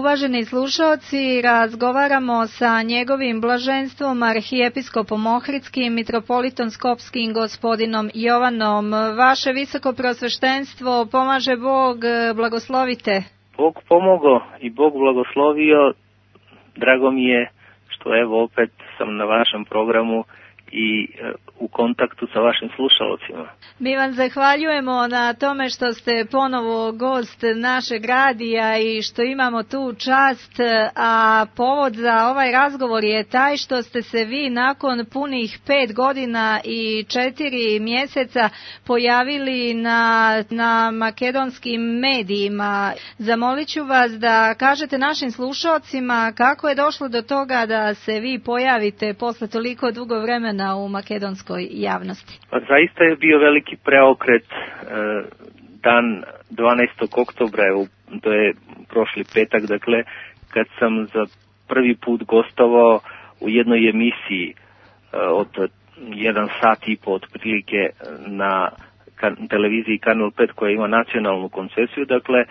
Uvaženi slušaoci, razgovaramo sa njegovim blaženstvom arhijepiskopom Ohridskim, mitropolitom Skopskim, gospodinom Jovanom. Vaše visoko prosveštenstvo, pomaže Bog, blagoslovite. Bog pomogao i Bog blagoslovio. Drago mi je što evo opet sam na vašem programu i u kontaktu sa vašim slušalcima. Mi vam zahvaljujemo na tome što ste ponovo gost našeg radija i što imamo tu čast, a povod za ovaj razgovor je taj što ste se vi nakon punih 5 godina i 4 mjeseca pojavili na makedonskim medijima. Zamolit ću vas da kažete našim slušalcima kako je došlo do toga da se vi pojavite posle toliko dugo vremena u makedonskoj javnosti. Pa zaista je bio veliki preokret dan 12. oktobra, to je prošli petak, dakle, kad sam za prvi put gostovao u jednoj emisiji od 1 sat i po otprilike na televiziji Kanal 5 koja ima nacionalnu koncesiju, dakle,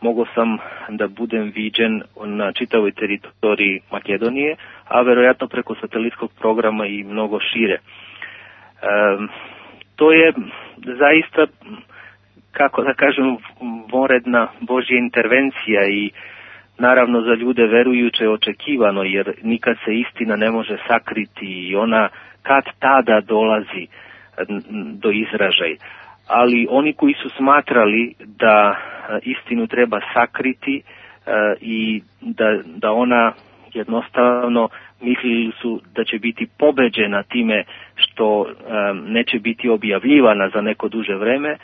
mogao sam da budem viđen na čitavoj teritoriji Makedonije, a verovatno preko satelitskog programa i mnogo šire. To je zaista, kako da kažem, voredna Božja intervencija i naravno za ljude verujuće očekivano, jer nikad se istina ne može sakriti i ona kad tada dolazi do izražaja. Ali oni koji su smatrali da istinu treba sakriti i da ona jednostavno mislili su da će biti pobeđena time što neće biti objavljivana za neko duže vreme,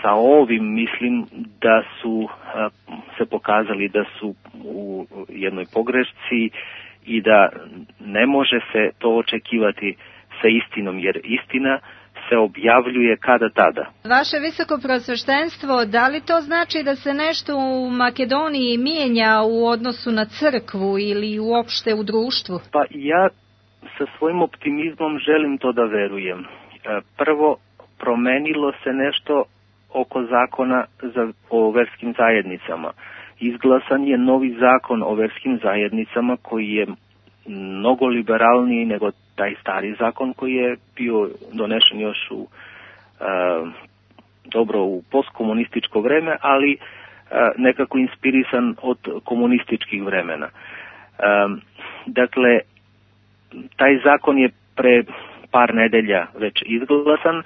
sa ovim mislim da su se pokazali da su u jednoj pogrešci i da ne može se to očekivati sa istinom, jer istina se objavljuje kada tada. Vaše visoko prosveštenstvo, da li to znači da se nešto u Makedoniji mijenja u odnosu na crkvu ili uopšte u društvu? Pa ja sa svojim optimizmom želim to da verujem. Prvo, promenilo se nešto oko zakona o verskim zajednicama. Izglasan je novi zakon o verskim zajednicama koji je mnogo liberalniji nego taj stari zakon koji je bio donešen još u postkomunističko vreme, ali nekako inspirisan od komunističkih vremena. Dakle, taj zakon je pre par nedelja već izglasan.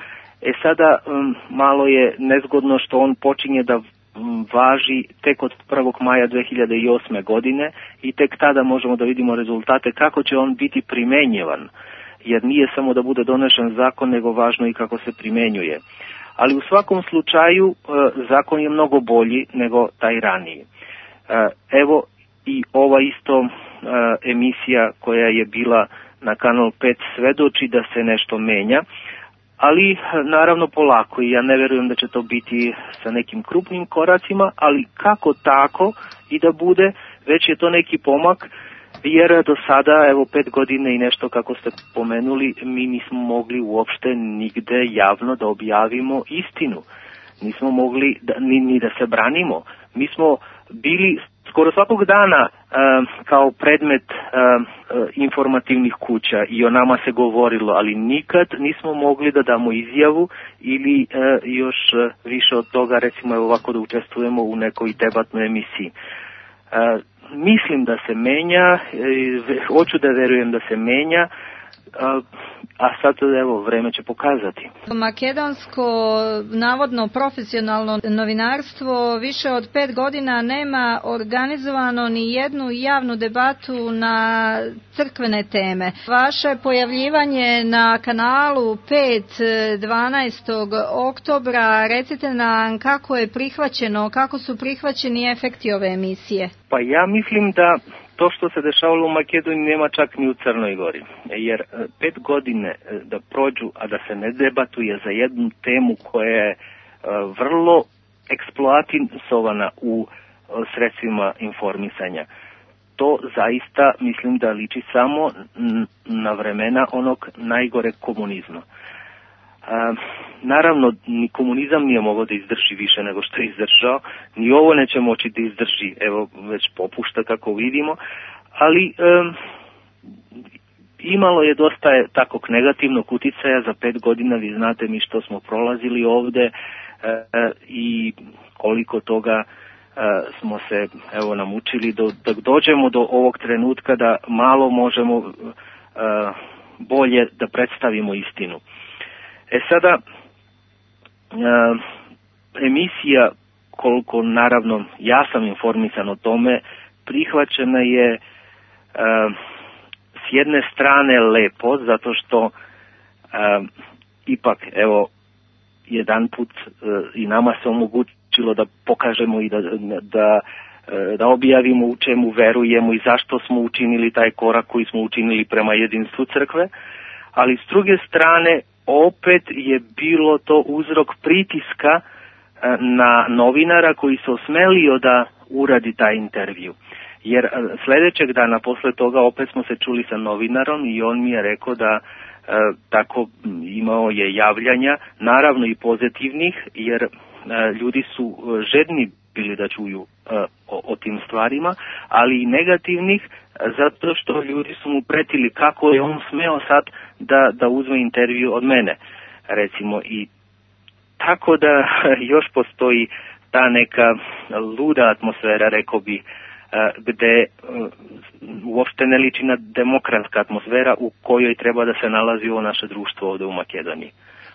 Sada malo je nezgodno što on počinje da važi tek od 1. maja 2008. godine i tek tada možemo da vidimo rezultate kako će on biti primenjivan, jer nije samo da bude donešen zakon, nego važno i kako se primenjuje. Ali u svakom slučaju zakon je mnogo bolji nego taj raniji. Evo i ova isto emisija koja je bila na Kanal 5 svedoči da se nešto menja, ali naravno polako i ja ne verujem da će to biti sa nekim krupnim koracima, ali kako tako i da bude, već je to neki pomak, jer do sada, evo 5 godina i nešto kako ste pomenuli, mi nismo mogli uopšte nigde javno da objavimo istinu. Nismo mogli ni da se branimo. Mi smo bili skoro svakog dana kao predmet informativnih kuća i o nama se govorilo, ali nikad nismo mogli da damo izjavu ili još više od toga, recimo ovako da učestvujemo u nekoj debatnoj emisiji. Mislim da se menja, hoću da verujem da se menja, a sad evo vreme će pokazati. Makedonsko navodno profesionalno novinarstvo više od 5 godina nema organizovano ni jednu javnu debatu na crkvene teme. Vaše pojavljivanje na kanalu 5 12. oktobra, recite nam kako je prihvaćeno, kako su prihvaćeni efekti ove emisije? Pa ja mislim da to što se dešavalo u Makedoniji nema čak ni u Crnoj Gori, jer 5 godine da prođu, a da se ne debatuje za jednu temu koja je vrlo eksploatisovana u sredstvima informisanja, to zaista mislim da liči samo na vremena onog najgore komunizma. Naravno, ni komunizam nije mogao da izdrži više nego što je izdržao, ni ovo neće moći da izdrži, evo već popušta kako vidimo, ali imalo je dosta takvog negativnog uticaja za 5 godina, vi znate mi što smo prolazili ovde i koliko toga smo se evo namučili da dođemo do ovog trenutka da malo možemo bolje da predstavimo istinu. Sada, emisija, koliko naravno ja sam informisan o tome, prihvaćena je s jedne strane lepo, zato što ipak, evo, jedan put i nama se omogućilo da pokažemo i da objavimo u čemu verujemo i zašto smo učinili taj korak koji smo učinili prema jedinstvu crkve, ali s druge strane opet je bilo to uzrok pritiska na novinara koji se osmelio da uradi taj intervju. Jer sledećeg dana posle toga opet smo se čuli sa novinarom i on mi je rekao da tako imao je javljanja, naravno i pozitivnih, jer ljudi su žedni bili da čuju o tim stvarima, ali i negativnih, zato što ljudi su mu pretili kako je on smeo sad da uzme intervju od mene, recimo. I tako da još postoji ta neka luda atmosfera, rekao bi, gde uopšte ne liči na demokratska atmosfera u kojoj treba da se nalazi ovo naše društvo ovde u Makedoniji.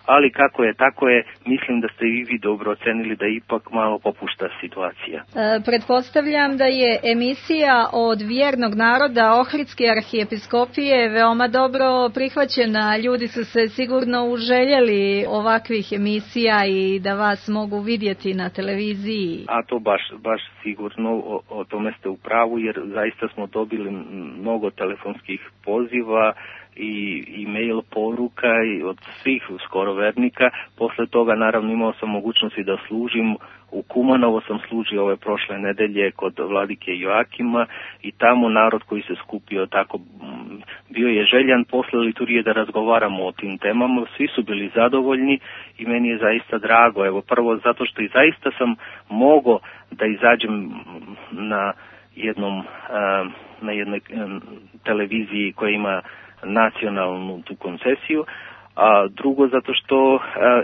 Ali kako je, tako je, mislim da ste i vi dobro ocenili da ipak malo popušta situacija. Pretpostavljam da je emisija od vjernog naroda Ohridske arhijepiskopije veoma dobro prihvaćena. Ljudi su se sigurno uželjeli ovakvih emisija i da vas mogu vidjeti na televiziji. A to baš sigurno, o tome ste u pravu, jer zaista smo dobili mnogo telefonskih poziva i mail poruka i od svih skoro vernika. Posle toga naravno imao sam mogućnosti da služim u Kumanovo, sam služio ove prošle nedelje kod vladike Joakima i tamo narod koji se skupio tako bio je željan posle liturgije da razgovaramo o tim temama. Svi su bili zadovoljni i meni je zaista drago. Evo prvo zato što i zaista sam mogao da izađem na jednoj televiziji koja ima nacionalnu tu koncesiju, a drugo zato što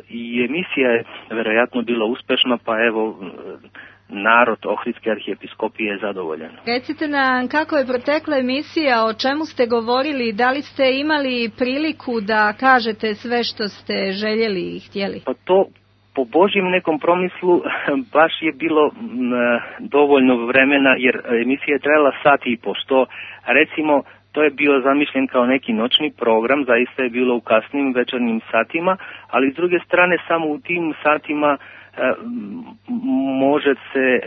i emisija je verovatno bila uspešna, pa evo narod Ohridske arhijepiskopije je zadovoljan. Recite nam kako je protekla emisija, o čemu ste govorili, da li ste imali priliku da kažete sve što ste željeli i htjeli? Pa to po Božjem nekom promislu baš je bilo dovoljno vremena, jer emisija je trajala sat i po, što recimo to je bio zamišljen kao neki noćni program, zaista je bilo u kasnim večernjim satima, ali s druge strane samo u tim satima može se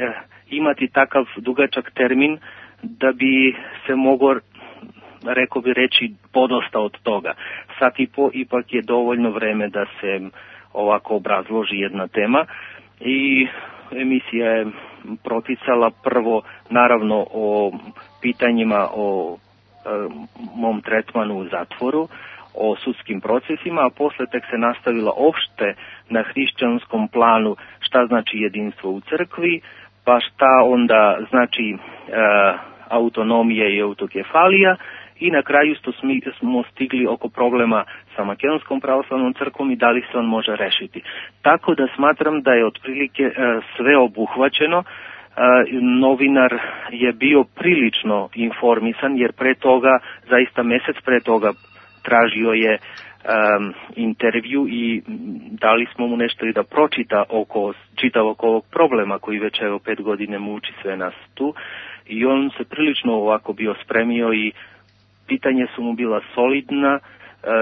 imati takav dugačak termin da bi se mogao, rekao bi reći, podosta od toga. Sat i po ipak je dovoljno vreme da se ovako obrazloži jedna tema i emisija je proticala prvo naravno o pitanjima o mom tretmanu u zatvoru, o sudskim procesima, a posle tek se nastavila opšte na hrišćanskom planu šta znači jedinstvo u crkvi, pa šta onda znači autonomija i autokefalija i na kraju smo stigli oko problema sa Makedonskom pravoslavnom crkvom i da li se on može rešiti. Tako da smatram da je otprilike sve obuhvaćeno. Novinar je bio prilično informisan, jer pre toga, zaista mesec pre toga, tražio je intervju i dali smo mu nešto i da pročita čitav oko ovog problema koji već evo 5 godine muči sve nas tu, i on se prilično ovako bio spremio i pitanje su mu bila solidna,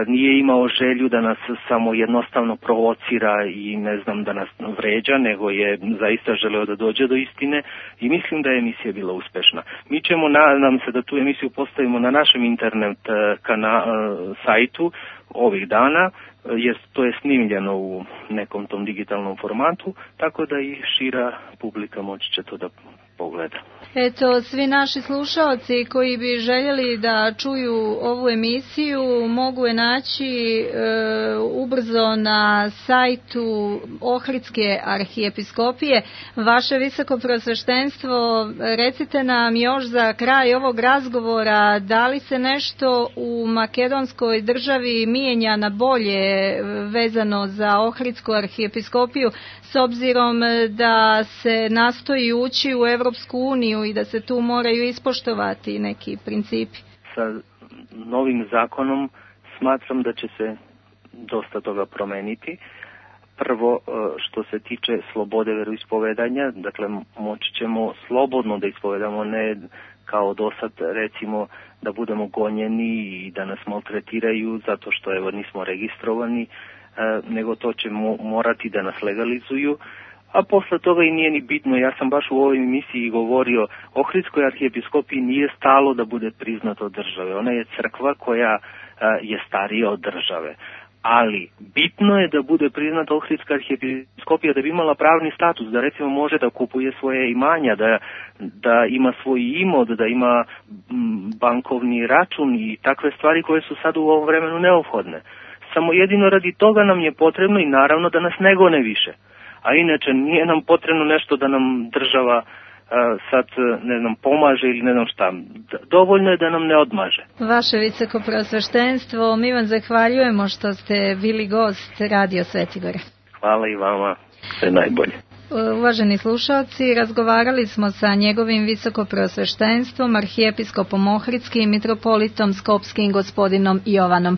nije imao želju da nas samo jednostavno provocira i ne znam da nas vređa, nego je zaista želeo da dođe do istine i mislim da je emisija bila uspešna. Mi ćemo, nadam se da tu emisiju postavimo na našem internet sajtu ovih dana, jer to je snimljeno u nekom tom digitalnom formatu, tako da i šira publika moći će to da pogleda. Eto, svi naši slušaoci koji bi željeli da čuju ovu emisiju mogu je naći ubrzo na sajtu Ohridske arhijepiskopije. Vaše visokoprosveštenstvo, recite nam još za kraj ovog razgovora, da li se nešto u makedonskoj državi mijenja na bolje vezano za Ohridsku arhijepiskopiju, s obzirom da se nastoji ući u Europsku uniju i da se tu moraju ispoštovati neki principi? Sa novim zakonom smatram da će se dosta toga promeniti. Prvo, što se tiče slobode veroispovedanja, dakle moći ćemo slobodno da ispovedamo, ne kao do sad, recimo, da budemo gonjeni i da nas maltretiraju zato što evo nismo registrovani, nego to će morati da nas legalizuju, a posle toga i nije ni bitno. Ja sam baš u ovoj emisiji govorio, Ohridskoj arhijepiskopiji nije stalo da bude priznata od države. Ona je crkva koja je starija od države. Ali bitno je da bude priznata Ohridska arhijepiskopija, da bi imala pravni status, da recimo može da kupuje svoje imanja, da ima svoj imod, da ima bankovni račun i takve stvari koje su sad u ovom vremenu neophodne. Samo jedino radi toga nam je potrebno i naravno da nas ne gone više. A inače nije nam potrebno nešto da nam država sad ne znam pomaže ili ne znam šta. Dovoljno je da nam ne odmaže. Vaše visokoprosveštenstvo, mi vam zahvaljujemo što ste bili gost Radio Svetigore. Hvala i vama, sve najbolje. Uvaženi slušalci, razgovarali smo sa njegovim visokoprosveštenstvom, arhijepiskopom Ohridskim, mitropolitom Skopskim, gospodinom Jovanom